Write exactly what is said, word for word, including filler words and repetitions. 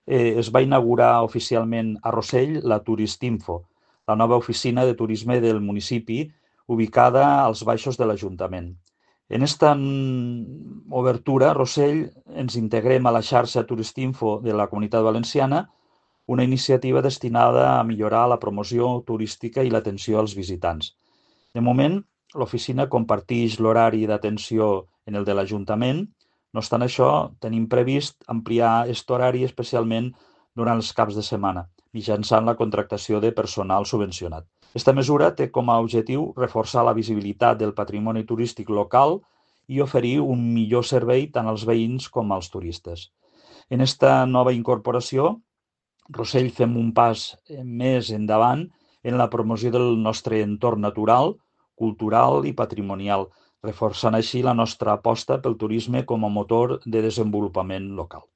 eh, es va inaugurar oficialment a Rossell la Turistinfo, la nova oficina de turisme del municipi, ubicada als baixos de l'Ajuntament. En esta obertura, Rossell, ens integrem a la xarxa Turistinfo de la Comunitat Valenciana, una iniciativa destinada a millorar la promoció turística i l'atenció als visitants. De moment, l'oficina comparteix l'horari d'atenció en el de l'Ajuntament. No obstant això, tenim previst ampliar aquest horari especialment durant els caps de setmana, mitjançant la contractació de personal subvencionat. Aquesta mesura té com a objectiu reforçar la visibilitat del patrimoni turístic local i oferir un millor servei tant als veïns com als turistes. En esta nova incorporació, Rossell fem un pas més endavant en la promoció del nostre entorn natural, cultural i patrimonial, reforçant així la nostra aposta pel turisme com a motor de desenvolupament local.